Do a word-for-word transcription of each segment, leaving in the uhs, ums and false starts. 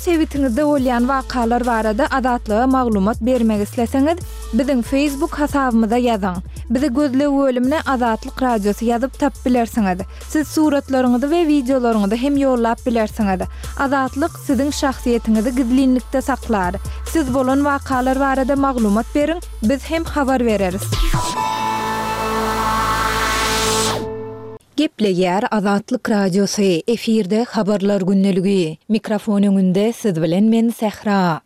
sebitiňizde bolýan wakalar barada Azatlyga maglumat bermek isleseňiz, biziň Facebook hasabymyza ýazyň. Bizi gözleg bölümine Azatlyk Radiosy ýazyp tapyp bilersiňiz. Siz suratlaryňyzy we wideolaryňyzy hem ýollap bilersiňiz. Azatlyk siziň şahsyýetiňizi gizlinlikde saklar. Siz bolan wakalar barada maglumat beriň, biz hem habar bereris. Gepleýär Azatlyk Radiosy, efirde Habarlar gündeligi. Mikrofon öňünde siz bilen men Sähra.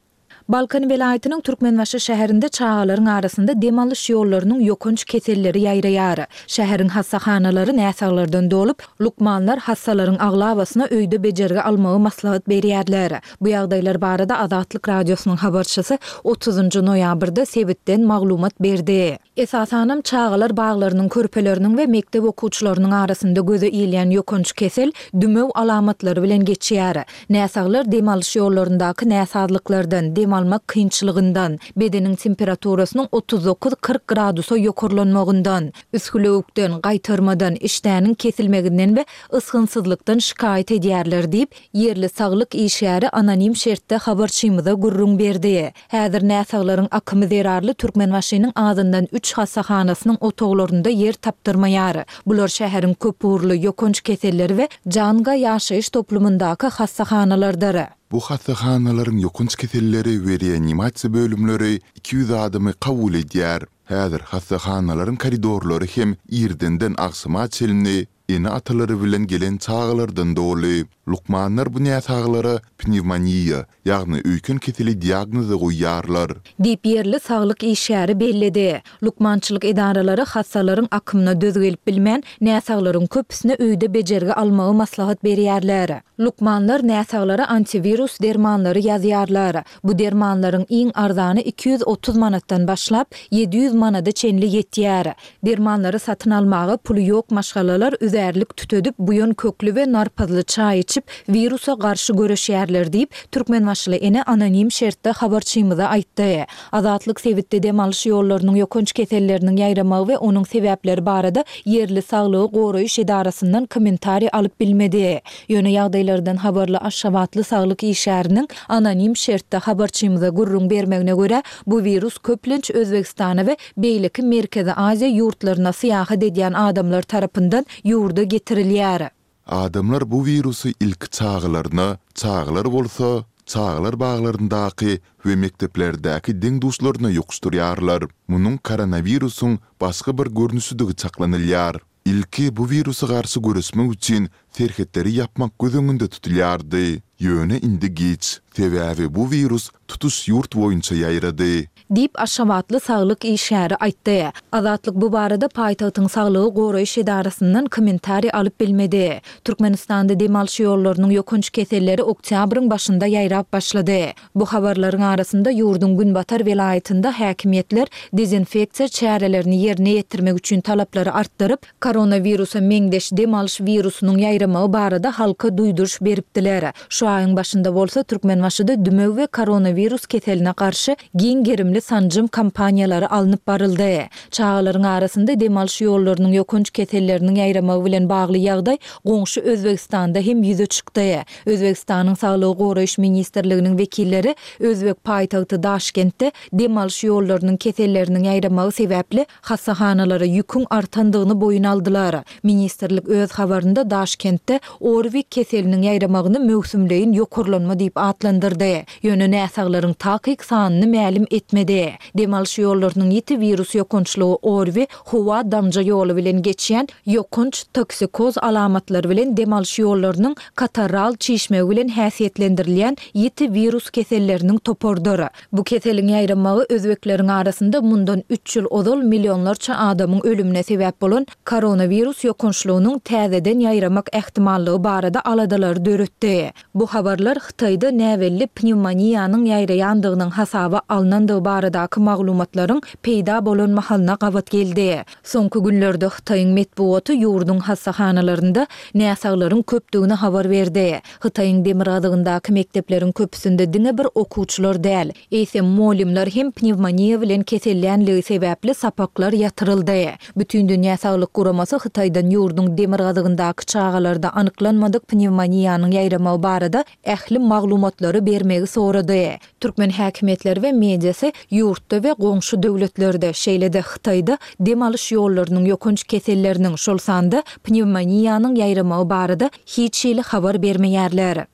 Balkan welaýatynyň Türkmenbaşy şäherinde çagalaryň arasynda dem alyş ýollarynyň ýokanç keselleri ýaýraýar. Şäheriň hassahanalary näsaglardan dolup, lukmanlar hassalaryň aglabasyna öýde bejergi almagy maslahat berýärler. Bu ýagdaýlar barada Azatlyk Radiosynyň habarçysy otuzynjy noýabrda sebitden maglumat berdi. Esasanam çagalar baglarynyň körpeleriniň we mekdep okuwçylarynyň arasynda göze ilýän ýokanç kesel dümew alamatlary bilen geçýär. Näsaglar dem alyş ýollaryndaky näsazlyklardan, dem almak kynçylygyndan, bedeniň temperaturasynyň otuz dokuz-kyrk gradusa ýokarlanmagyndan, üsgülewükden, gaýtarmadan, işdäniň kesilmeginden we ysgynsyzlykdan şikaýat edýärler diýip, ýerli saglyk işgäri anonim şertde habarçymyza gürrüň berdi. Häzir näsaglaryň akymy zerarly Türkmenbaşynyň azyndan üç hassahanasynyň otaglarynda ýer tapdyrmaýar. Bular şäheriň köpugurly ýokanç keselleri we Janga ýaşaýyş toplumyndaky hassahanalardyr. Bu hassahanalaryň ýokanç keselleri we reanimasiýa bölümleri iki ýüz adamy kabul edýär. Häzir hassahanalaryň koridorlary hem irdenden agşama çenli ene-atalary bilen gelen çagalardan doly. Lukmanlar bu näsaglara pnewmoniýa, ýagny öýken keseli diagnozy goýýarlar. Diýip, ýerli saglyk işgäri belledi. Lukmançylyk edaralary hassalaryň akymyna döz gelip bilmän, näsaglaryň köpüsine öýde bejergi almagy maslahat berýärler. Lukmanlar näsaglara antiwirus dermanlary ýazýarlar. Bu dermanlaryň iň arzany iki ýüz otuz manatdan başlap, ýedi ýüz manada çenli ýetýär. Dermanlary satyn almaga puly ýok maşgalalar üzärlik tütedip, buýan kökli we narpyzly çaý içip, wirusa garşy göreşýärler diýip, türkmenbaşyly ene anonim şertde habarçymyza aýtdy. Azatlyk sebitde dem alyş ýollarynyň ýokanç keselleriniň ýaýramagy we onuň sebäpleri barada ýerli saglygy goraýyş edarasyndan kommentariý alyp bilmedi. Ýöne ýagdaýlardan habarly aşgabatly saglyk işgäriniň anonim şertde habarçymyza gürrüň bermegine görä, bu wirus köplenç Özbegistana we beýleki Merkezi Aziýa ýurtlaryna syýahat edýän adamlar tarapyndan ýurda getirilýär. Adamlar bu wirusy ilki çagalaryna, çagalar bolsa çagalar baglaryndaky we mekdeplerdäki deň-duşlaryna ýokuşdyrýarlar. Munuň koronawirusyň başga bir görnüşidigi çaklanylýar. Ilki bu wirusa garşy göreşmek üçin serhetleri ýapmak göz öňünde tutulýardy. Ýöne indi giç. Sebäbi bu wirus tutuş ýurt boýunça ýaýrady. Diýip, aşgabatly saglyk işgäri aýtdy. Azatlyk bu barada paýtagtyň saglygy goraýyş edarasyndan kommentariý alyp bilmedi. Türkmenistanda dem alyş ýollarynyň ýokanç keselleri oktýabryň başynda ýaýrap başlady. Bu habarlaryň arasynda ýurduň günbatar welaýatynda häkimiýetler dezinfeksiýa çärelerini ýerine ýetirmek üçin talaplary artdyryp, koronawirusa meňzeş dem alyş wirusynyň ýaýramagy barada halka duýduryş beripdiler. Şu aýyň başynda bolsa Türkmenbaşyda dümew we koronawirus keseline garşy giň gerimli sanjym kampaniýalary alnyp baryldy. Çagalaryň arasynda dem alyş ýollarynyň ýokanç keselleriniň ýaýramagy bilen bagly ýagdaý goňşy Özbegistanda hem ýüze çykdy. Özbegistanyň Saglygy goraýyş ministrliginiň wekilleri özbek paýtagty Daşkentde dem alyş ýollarynyň keselleriniň ýaýramagy sebäpli hassahanalara ýüküň artandygyny boýun aldylar. Ministrlik öz habarynda Daşkentde ORWI keseliniň ýaýramagyny möwsümleýin ýokarlanma diýip atlandyrdy. Ýöne näsaglaryň takyk sanyny mälim etmedi. Dem alyş ýollarynyň ýiti wirus ýokançlygy ORWI howa damja ýoly bilen geçýän ýokanç toksikoz alamatlary bilen dem alyş ýollarynyň katarral çişmegi bilen häsiýetlendirilýän ýiti wirus keselleriniň toparydyr. Bu keseliň ýaýramagy özbekleriň arasynda mundan üç ýyl ozal millionlarça adamyň ölümine sebäp bolan koronawirus ýokançlygynyň täzeden ýaýramak ähtimallygy barada aladalary döretdi. Bu habarlar Hytaýda näbelli pnewmoniýanyň ýaýraýandygynyň hasaba alnandygy barada baradaky maglumatlaryň peýda bolan mahalyna gabat geldi. Soňky günlerde Hytaýyň metbugaty ýurduň hassahanalarynda näsaglaryň köpdügini habar berdi. Hytaýyň demirgazygyndaky mekdepleriň köpüsinde diňe bir okuwçylar däl, eýsem mugallymlar hem pnewmoniýa bilen kesellänligi sebäpli sapaklar ýatyryldy. Bütindünýä saglyk guramasy Hytaýdan ýurduň demirgazygyndaky çagalarda anyklanmadyk pnewmoniýanyň ýaýramagy barada ähli maglumatlary bermegi sorady. Türkmen häkimiýetleri we mediasy ýurtda we goňşy döwletlerde, şeýle-de Hytaýda dem alyş ýollarynyň ýokanç keselleriniň, şol sanda pnewmoniýanyň ýaýramagy barada hiç hili habar bermeýärler.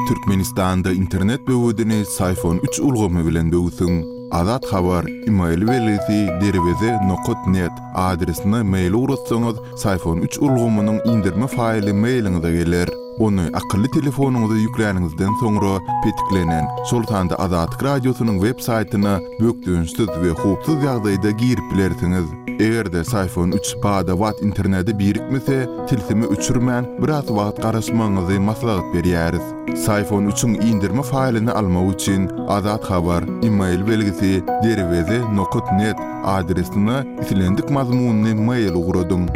Türkmenistanda internet böwedini Syfon üç ulgamy bilen böwsüň. Azat Habar, email belgisi derweze nokat net adresine mail ugratsaňyz, Syfon üç ulgamynyň indirme faýly mailiňize geler. Ony akylly telefonyňyza ýükläniňizden soňra petiklenen, şol sanda Azatlyk Radiosynyň web saýtyna bökdençsiz we howpsuz ýagdaýda girip bilersiňiz. Eger-de Syfon üç bada-bat internete birikmese, tilsimi öçürmän, biraz wagt garaşmagyňyzy maslahat berýäris. Syfon üçiň indirme faýlyny almak üçin Azat Habar, email belgisi derweze nokat net adresine islendik mazmunly mail ugradyň.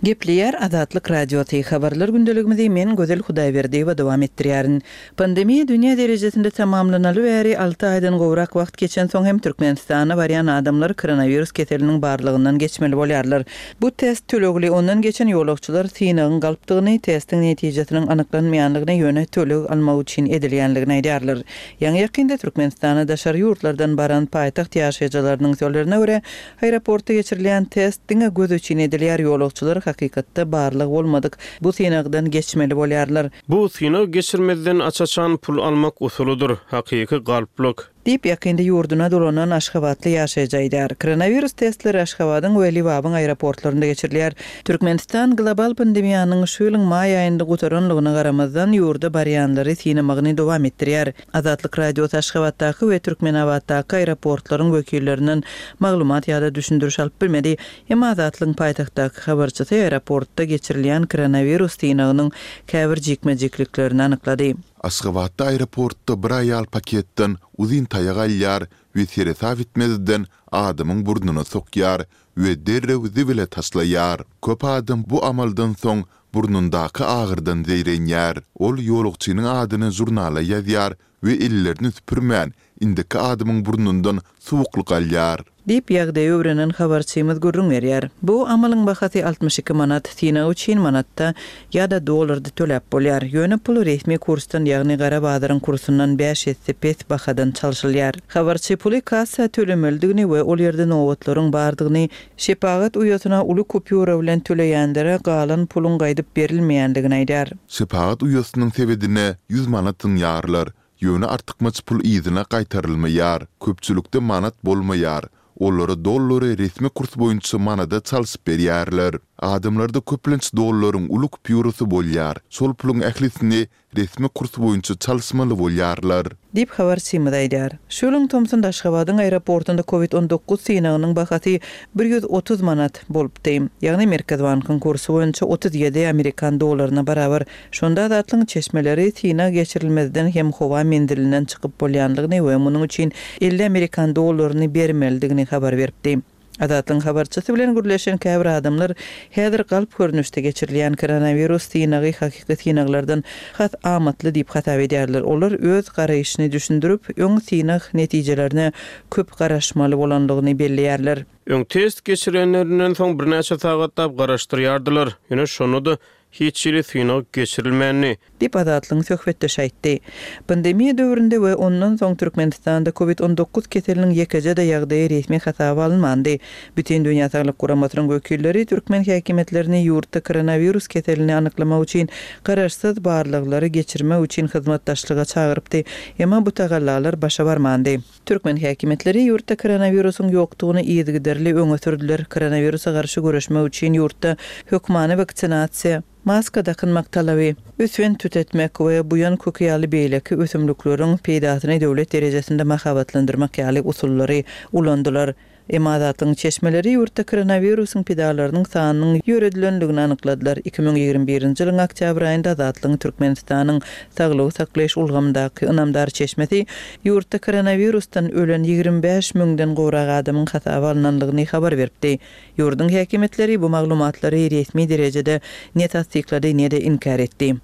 Gepleýär Azatlyk Radiosy. Habarlar gündeligimizi men Gözel Hudaýberdiýewa dowam etdirýärin. Pandemiýa dünýä derejesinde tamamlanaly bäri alty aýdan gowrak wagt geçensoň hem Türkmenistana barýan adamlar koronawirus keseliniň barlygyndan geçmeli bolýarlar. Bu test tölegli, ondan geçen ýolagçylar synagyň galpdygyny, testiň netijesiniň anyklanmaýanlygyny, ýöne töleg almak üçin edilýänligini aýdýarlar. Ýaňy ýakynda Türkmenistana daşary ýurtlardan baran paýtagt ýaşaýjylarynyň sözlerine görä, aeroportda geçirilýän test diňe göz üçin edilýär, ýolagçylar hakykatda barlyk bolmadyk bu synagdan geçmeli bolýarlar. Bu synag geçirmezden aç-açan pul almak usulydyr, hakyky galplyk. Diýip ýakynda ýurduna dolanan Aşgabatly ýaşaýjy aýdýar. Koronawirus testleri Aşgabadyň we Liwabyň aeroportlarynda geçirilýär. Türkmenistan global pandemiýanyň şu ýylyň maý aýynda gutaranlygyna garamazdan ýurda barýanlary synamagyny dowam etdirýär. Azatlyk Radiosy Aşgabatdaky we Türkmenabatdaky aeroportlaryň wekillerinden maglumat ýa-da düşündiriş alyp bilmedi. Emma Azatlygyň paýtagtdaky habarçysy aeroportda geçirilýän koronawirus synagynyň käbir jikme-jikliklerini anyklady. Aşgabatda aeroportda bir aýal paketden uzyn taýak alýar we seresap etmezden adamyň burnuna sokýar we derrew zibile taşlaýar. Köp adam bu amaldan soň burnundaky agyrdan zeýrenýär. Ol ýolagçynyň adyny žurnala ýazýar we ellerini süpürmän, indiki adamyň burnundan suwuklyk alýar. Diýip ýagdaýy öwrenen habarçymyz gürrüň berýär. Bu amalyň bahasy altmyş iki manat, synag üçin manatda ýa-da dollarda töläp bolýar. Ýöne pul resmi kursdan, ýagny gara bazaryň kursundan bäş esse pes bahadan çalşylýar. Habarçy puly kassa tölemelidigini we ol ýerde nobatlaryň bardygyny, şepagat uýasyna uly kupýura bilen töleýänlere galan puluň gaýdyp berilmeýändigini aýdar. Şepagat uýasynyň sebedine ýüz manat zyňýarlar. Ýöne artykmaç pul yzyna gaýtarylmaýar. Köpçülikde manat bolmaýar. Olara dollary resmi kurs boýunça manada çalşyp berýärler. Adamlarda köplenç dollaryň uly kupýurasy bolýar. Şol puluň ählisini resmi kurs boýunça çalyşmaly bolýarlar. Diýip habarçymyz aýdýar. Şu ýylyň tomsunda Aşgabadyň aeroportunda kovid on dokuz synagynyň bahasy bir ýüz otuz manat bolupdy. Ýagny Merkez bankyň kursy boýunça otuz ýedi amerikan dollaryna barabar. Şonda Azatlygyň çeşmeleri synag geçirilmezden hem howa menzilinden çykyp bolýanlygyny we munuň üçin elli amerikan dollaryny bermelidigini habar beripdi. Azatlygyň habarçysy bilen gürleşen käbir adamlar häzir galp görnüşde geçirilýän koronawirus synagy hakyky synaglardan has amatly diýip hasap edýärler. Olar öz garaýşyny düşündirip, öň synag netijelerine köp garaşmaly bolanlygyny belleýärler. Öň test geçirenlerinden soň birnäçe sagatlap garaşdyrýardylar. Ýöne şonda da hiç hili synag geçirilmändi. Diýip Azatlygyň söhbetdeşi aýtdy. Pandemiýa döwründe we ondan soň Türkmenistanda kovid on dokuz keseliniň ýekeje-de ýagdaýy resmi hasaba alynmandy. Bütün Dünýä Saglyk Guramasynyň wekilleri türkmen häkimiýetlerini ýurtda koronawirus keselini anyklamak üçin garaşsyz barlaglary geçirmek üçin hyzmatdaşlyga çagyrypdy. Emma bu tagallalar başa barmandy. Türkmen häkimiýetleri ýurtda koronawirusyň ýokdugyny yzygiderli öňe sürdüler. Koronawirusa garşy göreşmek üçin ýurtda hökmany waksinasiýa, maska dakynmak talaby, öswen tütetmek we buýan köki ýaly beýleki ösümlikleriň peýdasyny döwlet derejesinde mahabatlandyrmak ýaly usullary ulandylar. Emma Azatlygyň çeşmeleri ýurtda koronawirusyň pidalarynyň sanynyň ýöredilendigini anykladylar. Iki müň ýigrimi birinji ýylyň oktýabr aýynda Azatlygyň Türkmenistanyň saglygy saklaýyş ulgamyndaky ynamdar çeşmesi ýurtda koronawirusdan ölen ýigrimi bäş müňden gowrak adamyň hasaba alnandygyny habar beripdi. Ýurduň häkimiýetleri bu maglumatlary resmi derejede ne tassyklady, ne-de inkär etdi.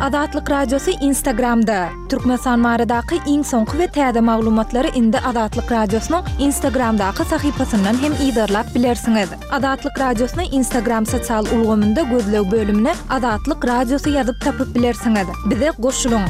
Azatlyk Radiosy Instagramda. Türkmenistan baradaky iň soňky we täze maglumatlary indi Azatlyk Radiosynyň Instagramdaky sahypasyndan hem yzarlap bilersiňiz. Azatlyk Radiosyny Instagram sosial ulgamynda gözleg bölümine Azatlyk Radiosy ýazyp tapyp bilersiňiz. Bize goşulyň!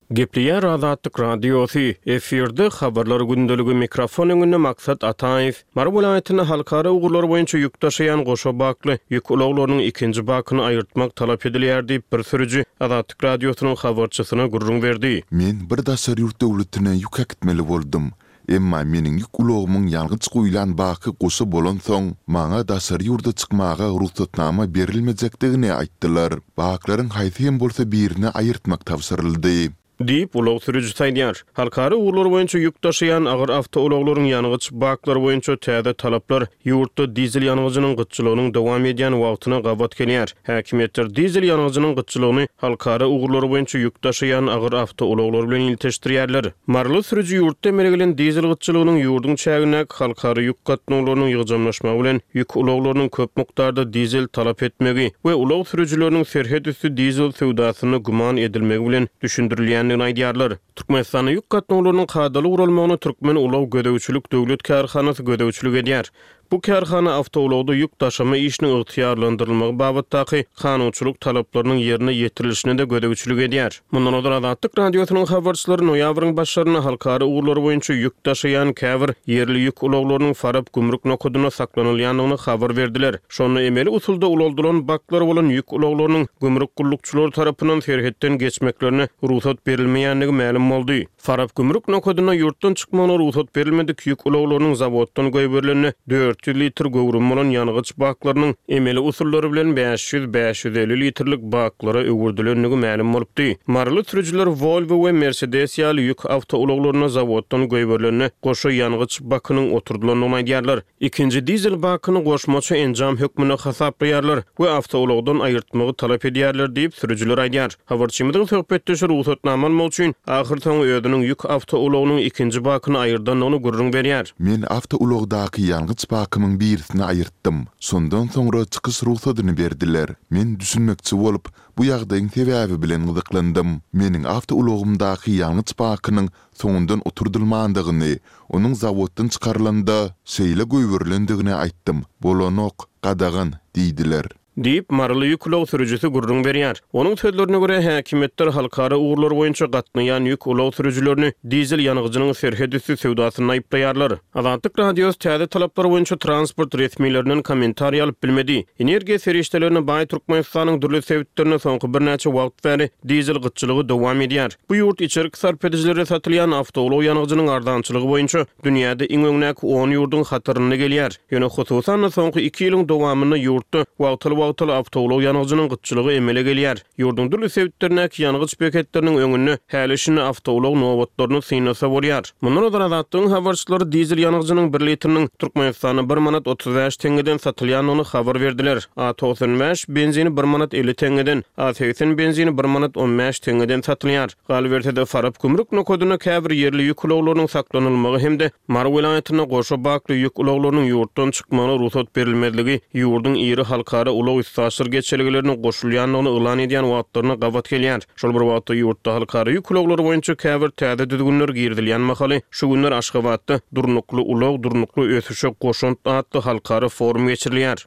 Gepleýär Azatlyk Radiosy, efirde Habarlar gündeligi, mikrofon öňünde Maksat Ataýew. Mary welaýatynda halkara ugurlar boýunça ýük daşaýan goşa bakly ýük ulaglarynyň ikinji bakyny aýyrtmak talap edilýär diýip, bir sürüji Azatlyk Radiosynyň habarçysyna gürrüň berdi. Men bir daşary ýurt döwletine ýük äkitmeli boldum. Emma meniň ýük ulagymyň ýangyç guýlan baky goşa bolansoň, maňa daşary ýurda çykmaga rugsatnama berilmejekdigini aýtdylar. Baklaryň haýsy hem bolsa birini aýyrtmak tabşyryldy. Diýip, ulag sürüjisi aýdýar. Halkara ugurlar boýunça ýük daşaýan agyr awtoulaglaryň ýangyç baklary boýunça täze talaplar ýurtda dizel ýangyjynyň gytçylygynyň dowam edýän wagtyna gabat gelýär. Häkimiýetler dizel ýangyjynyň gytçylygyny halkara ugurlary boýunça ýük daşaýan agyr awtoulaglar bilen ilteşdirýärler. Maryly sürüji ýurtda emele gelen dizel gytçylygynyň ýurduň çägindäki halkara ýük gatnawlarynyň ýygjamlaşmagy bilen ýük ulaglarynyň köp mukdarda dizel talap etmegi we ulag sürüjileriniň serhet üsti dizel söwdasynda güman edilmegi bilen düşündirilýändigini aýdýarlar. Türkmenistanda ýük gatnawlarynyň kadaly guralmagyna Türkmen ulag gözegçilik döwlet kärhanasy gözegçilik edýär. Bu kärhana awtoulagda ýük daşama işiniň ygtyýarlandyrylmagy babatdaky kanunçylyk talaplarynyň ýerine ýetirilişine-de gözegçilik edýär. Mundan ozal Azatlyk Radiosynyň habarçylary noýabryň başlarynda halkara ugurlary boýunça ýük daşaýan käbir ýerli ýük ulaglarynyň Farap gümrük nokadynda saklanylýandygyny habar berdiler. Şonda emeli usulda ulaldylan baklary bolan ýük ulaglarynyň gümrük gullukçylary tarapyndan serhetden geçmeklerine rugsat berilmeýändigi mälim boldy. Farap gümrük nokadynda ýurtdan çykmagyna rugsat berilmedik ýük ulaglarynyň zawoddan goýberilende dört ýüz litr göwrümi bolan ýangyç baklarynyň emeli usullary bilen bäş ýüz, bäş ýüz elli litrlik baklara öwürdilendigi mälim bolupdy. Maryly sürüjiler Volvo we Mercedes ýaly ýük awtoulaglaryna zawoddan goýberilende goşa ýangyç bakynyň oturdylandygyny aýdýarlar. Ikinji dizel bakyny goşmaça enjam hökmünde hasaplaýarlar we awtoulagdan aýyrtmagy talap edýärler diýip, sürüjiler aýdýar. Habarçymyzyň söhbetdeşi rugsatnama almak üçin ahyrsoňy özüniň ýük awtoulagynyň ikinji bakyny aýyrdandygyny gürrüň berýär. Men awtoulagdaky ýangyç bakymyň birisini aýyrtdym. Şondan soňra çykyş rugsadyny berdiler. Men düşünmekçi bolup, bu ýagdaýyň sebäbi bilen gyzyklandym. Meniň awtoulagymdaky ýangyç bakynyň soňundan oturdylmandygyny, onuň zawoddan çykarylanda şeýle goýberilendigini aýtdym. Bolanok, gadagan diýdiler. Diýip, maryly ýük ulag sürüjisi gürrüň berýär. Onuň sözlerine görä, häkimiýetler halkara ugurlar boýunça gatnaýan ýük ulag sürüjilerini dizel ýangyjynyň serhet üsti söwdasynda aýyplaýarlar. Azatlyk Radiosy täze talaplar boýunça transport resmilerinden kommentariý alyp bilmedi. Energiýa serişdelerine baý Türkmenistanyň dürli sebitlerinde soňky birnäçe wagt bäri dizel gytçylygy dowam edýär. Bu ýurt içerki sarp edijilere satylýan awtoulag ýangyjynyň arzançylygy boýunça dünýäde iň öňdäki on ýurduň hatarynda gelýär. Ýöne hususan-da soňky iki ýylyň dowamynda ýurtda wagtal-wagtal awtoulag ýangyjynyň gytçylygy emele gelýär. Ýurduň dürli sebitlerindäki ýangyç beketleriniň öňünde häli-şindi awtoulag nobatlaryny synlasa bolýar. Mundan ozal Azatlygyň habarçylary dizel ýangyjynyň bir litriniň Türkmenistanda bir manat otuz bäş teňňeden satylýandygyny habar berdiler. A togsan bäş benzini bir manat elli teňňeden, A segsen benzini bir manat on bäş teňňeden satylýar. Galyberse-de, Farap gümrük nokadynda käbir ýerli ýük ulaglarynyň saklanylmagy hem-de Mary welaýatynda goşa bakly ýük ulaglarynyň ýurtdan çykmagyna rugsat berilmezligi ýurduň iri halkara ulag-üstaşyr geçelgelerine goşulýandygyny yglan edýän wagtlaryna gabat gelýär. Şol bir wagtda ýurtda halkara ýük ulaglary boýunça käbir täze düzgünler girizilýän mahaly şu günler Aşgabatda Durnukly ulag, durnukly ösüşe goşant atly halkara forum geçirilýär.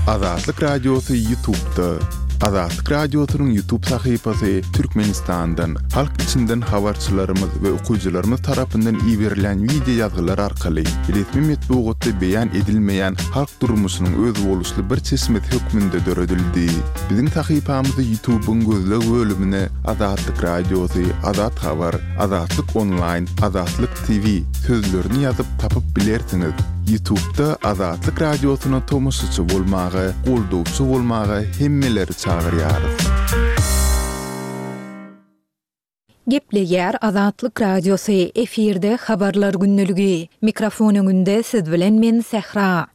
Azatlyk Radiosy YouTube-da. Azatlyk Radiosynyň YouTube sahypasy Türkmenistandan, halk içinden habarçylarymyz we okyjylarymyz tarapyndan iberilen wideo ýazgylar arkaly resmi metbugatda beýan edilmeýän halk durmuşynyň özboluşly bir çeşmesi hökmünde döredildi. Biziň sahypamyzy YouTube-yň gözleg bölümine Azatlyk Radiosy, Azat Habar, Azatlyk Onlaýn, Azatlyk T V sözlerini ýazyp tapyp bilersiňiz. YouTube'da Azatlyk Radiosyna tomaşaçy bolmaga, goldawçy bolmaga hemmeleri çagyrýarys. Gepleýär Azatlyk Radiosy, efirde Habarlar gündeligi. Mikrofon öňünde siz bilen men Sähra.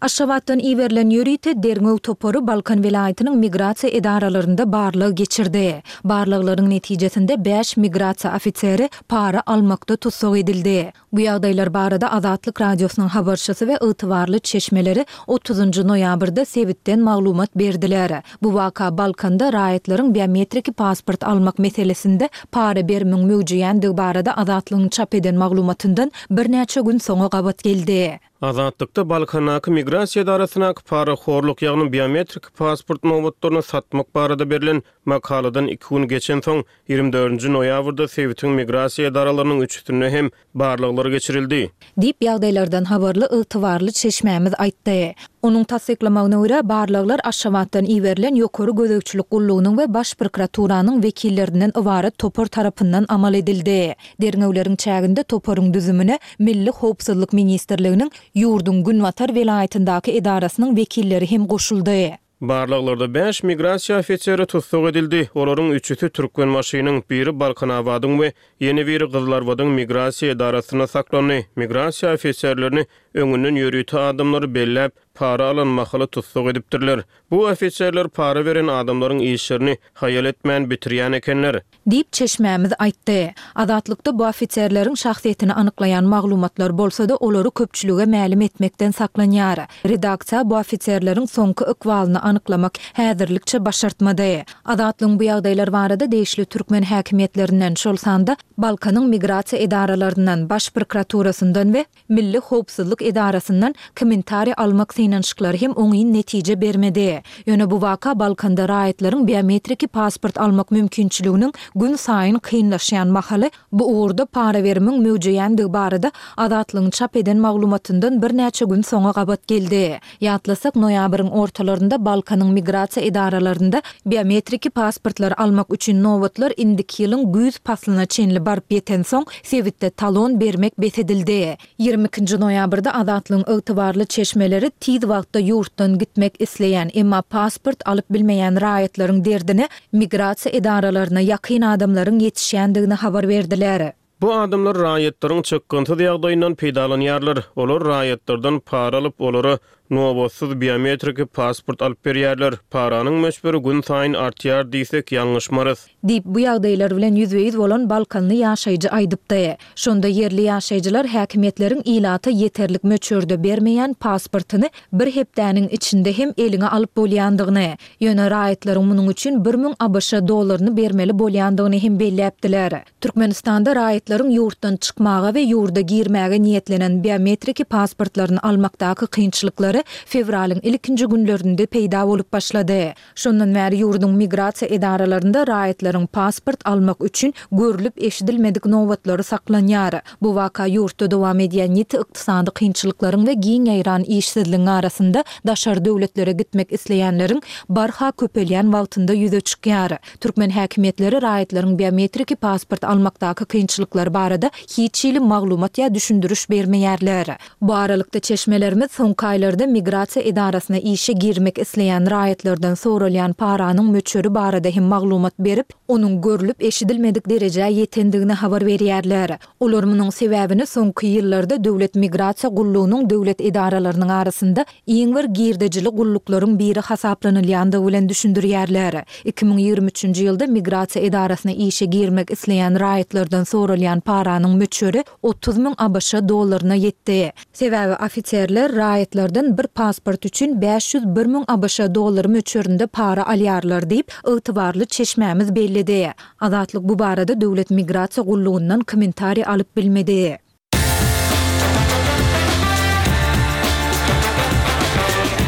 Aşgabatdan iberilen ýörite derňew topary Balkan welaýatynyň migrasiýa edaralarynda barlag geçirdi. Barlaglaryň netijesinde bäş migrasiýa ofiseri para almakda tussag edildi. Bu ýagdaýlar barada Azatlyk Radiosynyň habarçysy we ygtybarly çeşmeleri otuzynjy noýabrda sebitden maglumat berdiler. Bu waka Balkanda raýatlaryň biometriki pasport almak meselesinde para berimiň möwjeýändigi barada Azatlygyň çap eden maglumatyndan birnäçe gün soňa gabat geldi. Azatlykda Balkandaky migrasiýa edarasyndaky parahorluk, ýagny biometrik pasport nobatlaryny satmak barada berlen makaladan iki gün geçensoň, ýigrimi dördünji noýabrda sebitiň migrasiýa edaralarynyň üçüsinde hem barlaglar geçirildi. Diýip, ýagdaýlardan habarly ygtybarly çeşmämiz aýtdy. Onuň tassyklamagyna görä, barlaglar Aşgabatdan iberilen Ýokary gözegçilik gullugynyň we Baş prokuraturanyň wekillerinden ybarat topar tarapyndan amal edildi. Derňewleriň çäginde toparyň düzümine Milli howpsuzlyk ministrliginiň ýurduň günbatar welaýatyndaky edarasynyň wekilleri hem goşuldy. Barlaglarda bäş migrasiýa ofiseri tussag edildi. Olaryň üçüsi Türkmenbaşynyň, biri Balkanabadyň we ýene biri Gyzylarbadyň migrasiýa edarasynda saklandy. Migrasiýa ofiserlerini öňünden ýörite adamlary belläp, para alan mahaly tussag edipdirler. Bu ofiserler para beren adamlaryň işlerini haýal etmän bitirýän ekenler. Diýip, çeşmämiz aýtdy. Azatlykda bu ofiserleriň şahsyýetini anyklaýan maglumatlar bolsa-da, olary köpçülige mälim etmekden saklanýar. Redaksiýa bu ofiserleriň soňky ykbalyny anyklamak häzirlikçe başartmady. Azatlygyň bu ýagdaýlar barada degişli türkmen häkimiýetlerinden, şol sanda Balkanyň migrasiýa edaralaryndan, Baş prokuraturasyndan we Milli howpsuzlyk edarasyndan kommentariý almak synanyşyklary hem oňyn netije bermedi. Ýöne bu waka Balkanda raýatlaryň biometriki pasport almak mümkinçiliginiň günsaýyn kynlaşýan mahaly bu ugurda para berimiň möwjeýändigi barada Azatlygyň çap eden maglumatyndan birnäçe gün soňa gabat geldi. Ýatlasak, noýabryň ortalarynda Balkanyň migrasiýa edaralarynda biometriki pasportlary almak üçin nobatlar indiki ýylyň güýz paslyna çenli baryp ýetensoň, sebitde talon bermek bes edildi. Ýigrimi ikinji noýabrda Azatlygyň ygtybarly çeşmeleri tiz wagtda ýurtdan gitmek isleýän, emma pasport alyp bilmeýän raýatlaryň derdine migrasiýa edaralaryna ýakyn adamlaryň ýetişýändigini habar berdiler. Bu adamlar raýatlaryň çykgynsyz ýagdaýyndan peýdalanýarlar. Olar raýatlardan para alyp, olara nobatsyz biometriki pasport alyp berýärler. Paranyň möçberi günsaýyn artýar diýsek ýalňyşmarys. Diýip, bu ýagdaýlar bilen ýüzbe-ýüz bolan balkanly ýaşaýjy aýdypdy. Şonda ýerli ýaşaýjylar häkimiýetleriň ilata ýeterlik möçberde bermeýän pasportyny bir hepdäniň içinde hem eliňe alyp bolýandygyny, ýöne raýatlaryň munuň üçin bir müň ABŞ dollaryny bermeli bolýandygyny hem belläpdiler. Türkmenistanda raýatlaryň ýurtdan çykmaga we ýurda girmäge niýetlenen biometriki pasportlaryny almakdaky kynçylyklary fewralyň ilkinji günlerinde peýda bolup başlady. Şondan bäri ýurduň migrasiýa edaralarynda raýatlaryň pasport almak üçin görlüp-eşidilmedik nobatlary saklanýar. Bu waka ýurtda dowam edýän ýiti ykdysady kynçylyklaryň we giň ýaýran işsizligiň arasynda daşary döwletlere gitmek isleýänleriň barha köpelýän wagtynda ýüze çykýar. Türkmen häkimiýetleri raýatlaryň biometriki pasport almakdaky kynçylyklary barada hiç hili maglumat ýa düşündiriş bermeýärler. Bu aralykda çeşmelerimiz soňky aýlarda migrasiýa edarasyna işe girmek isleýän raýatlardan soralýan paranyň möçberi barada hem maglumat berip, onuň görlüp-eşidilmedik derejä ýetendigini habar berýärler. Olar munuň sebäbini soňky ýyllarda Döwlet migrasiýa gullugynyň döwlet edaralarynyň arasynda iň bir girdejili gulluklaryň biri hasaplanylýandygy bilen düşündirýärler. Iki müň ýigrimi üçünji ýylda migrasiýa edarasyna işe girmek isleýän raýatlardan soralýan paranyň möçberi otuz müň ABŞ dollaryna ýetdi. Sebäbi ofiserler raýatlardan bir pasport üçin bäş ýüz bir müň ABŞ dollary möçberinde para alýarlar diýip, ygtybarly çeşmämiz belledi. Azatlyk bu barada Döwlet migrasiýa gullugyndan kommentariý alyp bilmedi.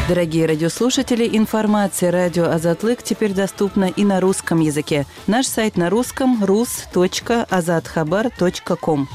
Дорогие радиослушатели, информация радио Азатлык теперь доступна и на русском языке. Наш сайт на русском рус точка азатхабар точка ком.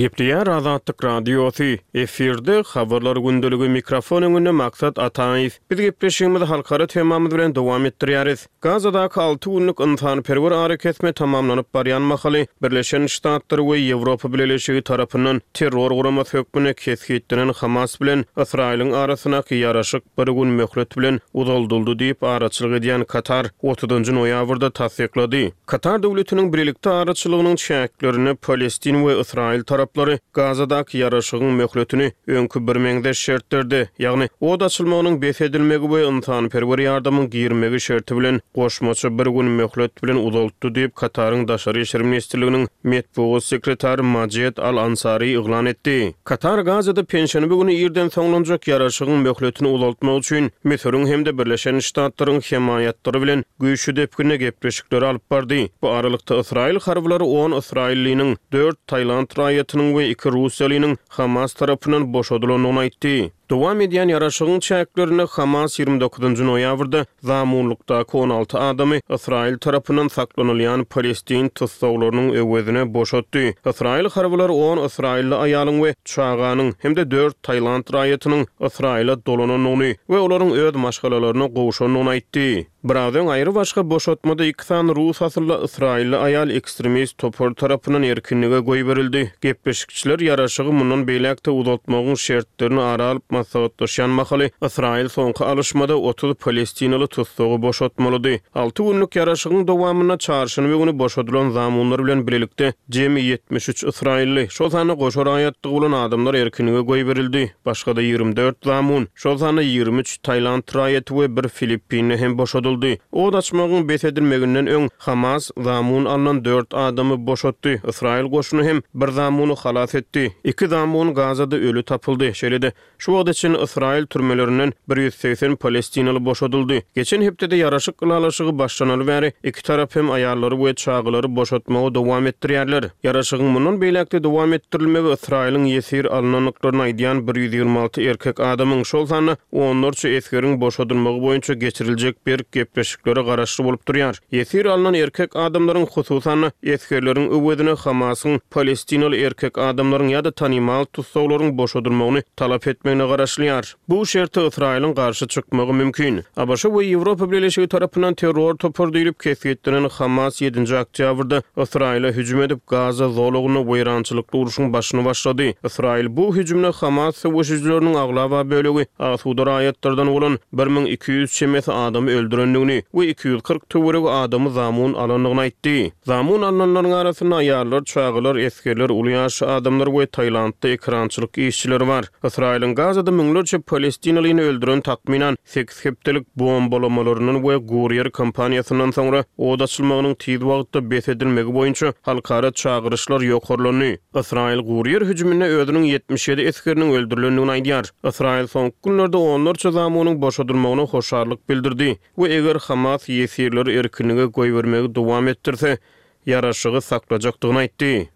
Gepleýär Azatlyk Radiosy, efirde Habarlar gündeligi, mikrofon öňünde Maksat Ataýew. Biz gepleşigimizi halkara temamyz bilen dowam etdirýäris. Gazadaky alty günlük ynsanperwer arakesme tamamlanyp barýan mahaly, Birleşen Ştatlar we Ýewropa Bileleşigi tarapyndan terror guramasy hökmünde kesgitlenen Hamas bilen Ysraýylyň arasyndaky ýaraşyk bir gün möhlet bilen uzaldyldy diýip, araçylyk edýän Katar otuzynjy noýabrda tassyklady. Katar döwletiniň bilelikde araçylygynyň çäklerinde palestin we ysraýyl taraplary Gazadaky ýaraşygyň möhletini öňki birmeňzeş şertlerde, ýagny ot açylmagynyň bes edilmegi we ynsanperwer ýardamyň girmegi şerti bilen goşmaça bir gün möhlet bilen uzaltdy diýip, Kataryň Daşary işler ministrliginiň metbugat sekretary Majed Al-Ansari yglan etdi. Katar Gazada penşenbe güni irden soňlanjak ýaraşygyň möhletini uzaltmak üçin Müsüriň hem-de Birleşen Ştatlaryň hemaýatlary bilen güýçli depginde gepleşikleri alyp bardy. Bu aralykda, ysraýyl harbylary on ysraýyllynyň, dört tailand raýatynyň we iki russiýalynyň Hamas tarapyndan boşadylandygyny aýtdy. Dowam edýän ýaraşygyň çäklerinde Hamas ýigrimi dokuzynjy noýabrda zamunlykdaky on alty adamy Ysraýyl tarapyndan saklanylýan palestin tussaglarynyň öwezine boşatdy. Ysraýyl harbylary on ysraýylly aýalyň we çaganyň hem-de dört tailand raýatynyň Ysraýyla dolanandygyny we olaryň öz maşgalalaryna gowşandygyny aýtdy. Biraz öň aýrybaşga boşatmada iki sany rus asylly ysraýylly aýal ekstremist topar tarapyndan erkinlige goýberildi. Gepleşikçiler ýaraşygy mundan beýläk-de uzaltmagyň şertlerini ara alyp maslahatlaşýan mahaly Ysraýyl soňky alyşmada otuz palestinaly tussagy boşatmalydy. Alty günlük ýaraşygyň dowamynda çarşenbe güni boşadylan zamunlar bilen bilelikde jemi ýetmiş üç ysraýylly, şol sanda goşa raýatlygy bolan adamlar erkinlige goýberildi. Başga-da ýigrimi dört zamun, şol sanda ýigrimi üç tailand raýaty we bir filippinli hem boşadyldy. Ot açmagyň bes edilmeginden öň Hamas zamun alnan dört adamy boşatdy. Ysraýyl goşuny hem bir zamuny halas etdi. Iki zamun Gazada öli tapyldy. Şeýle-de, şu wagta çenli Ysraýyl türmelerinden bir ýüz segsen palestinaly boşadyldy. Geçen hepdede ýaraşyk ylalaşygy başlanaly bäri iki tarap hem aýallary we çagalary boşatmagy dowam etdirýärler. Ýaraşygyň mundan beýläk-de dowam etdirilmegi Ysraýylyň ýesir alynandyklaryny aýdýan bir ýüz ýigrimi alty erkek adamyň, şol sanda onlarça esgeriň boşadylmagy boýunça geçiriljek berk gepleşiklere garaşly bolup durýar. Ýesir alnan erkek adamlaryň, hususan-da esgerleriň öwezine Hamasyň palestinaly erkek adamlaryň ýa-da tanymal tussaglaryň boşadylmagyny talap etmegine garaşylýar. Bu şerte Ysraýylyň garşy çykmagy mümkin. ABŞ we Ýewropa Bileleşigi tarapyndan terror topary diýlip kesgitlenen Hamas ýedinji oktýabrda Ysraýyla hüjüm edip, Gaza zolagynda weýrançylykly urşuň başyny başlady. Ysraýyl bu hüjümde Hamas söweşijileriniň aglaba bölegi asuda raýatlardan bolan bir müň iki ýüz çemesi adamy öldürendigini we iki ýüz kyrk töweregi adamy zamun alandygyny aýtdy. Zamun alnanlaryň arasynda aýallar, çagalar, esgerler, uly ýaşly adamlar we Tailandda ekrançylyk işçileri bar. Ysraýylyň Gazada müňlerçe palestinalyny öldüren takmynan sekiz hepdelik bombalamalaryndan we guryýer kampaniýasyndan soňra ot açylmagynyň tiz wagtda bes edilmegi boýunça halkara çagyryşlar ýokarlandy. Ysraýyl guryýer hüjüminde özüniň ýetmiş ýedi esgeriniň öldürilendigini aýdýar. Ysraýyl soňky günlerde onlarça zamunyň boşadylmagyna hoşallyk bildirdi we eger Hamas ýesirleri erkinlige goýbermegi dowam etdirse, ýaraşygy saklajakdygyny aýtdy.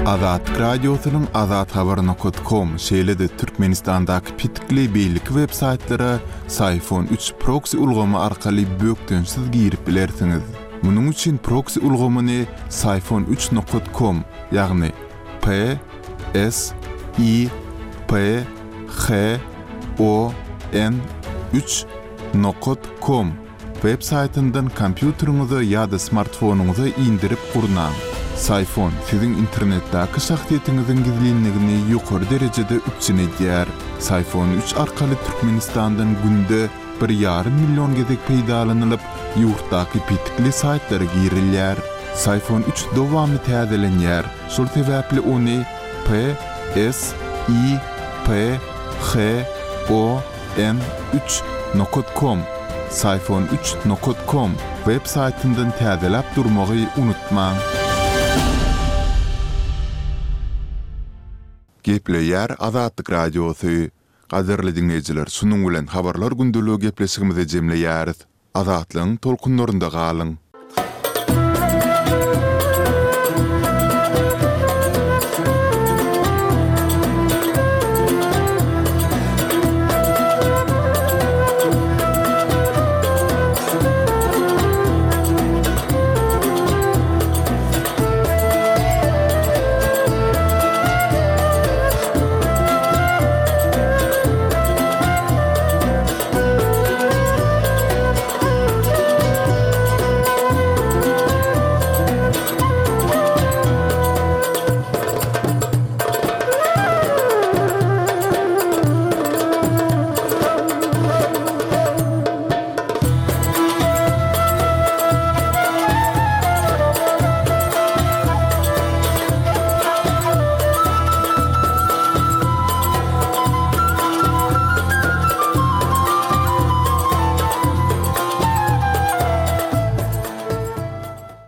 Azatlyk Radiosynyň azathabar nokta com, şeýle-de Türkmenistandaky petikli beýleki web-saýtlara Syfon üç proksi ulgamy arkaly bökdençsiz girip bilersiňiz. Munuň üçin proksi ulgamyny Syfon üç nokta com, ýagny P S I P H O N üç nokta com web saýtyndan kompýuteriňize ýa-da smartfonyňyza indirip gurnaň. Syfon siziň internetdäki şahsyýetiňiziň gizlinligini ýokary derejede üpjün edýär. Syfon üç arkaly Türkmenistandan günde bir ýarym million gezek peýdalanylyp, ýurtdaky petikli saýtlara girilýär. Syfon üç dowamly täzelenýär. Şol sebäpli ony P S I P H O N üç nokta com, Syfon üç nokta com web saýtyndan täzeläp durmagy unutmaň. Gepleýär Azatlyk Radiosy. Gadyrly diňleýjiler, şunuň bilen habarlar gündeligi gepleşigimizi jemleýäris. Azatlygyň tolkunlarynda galyň.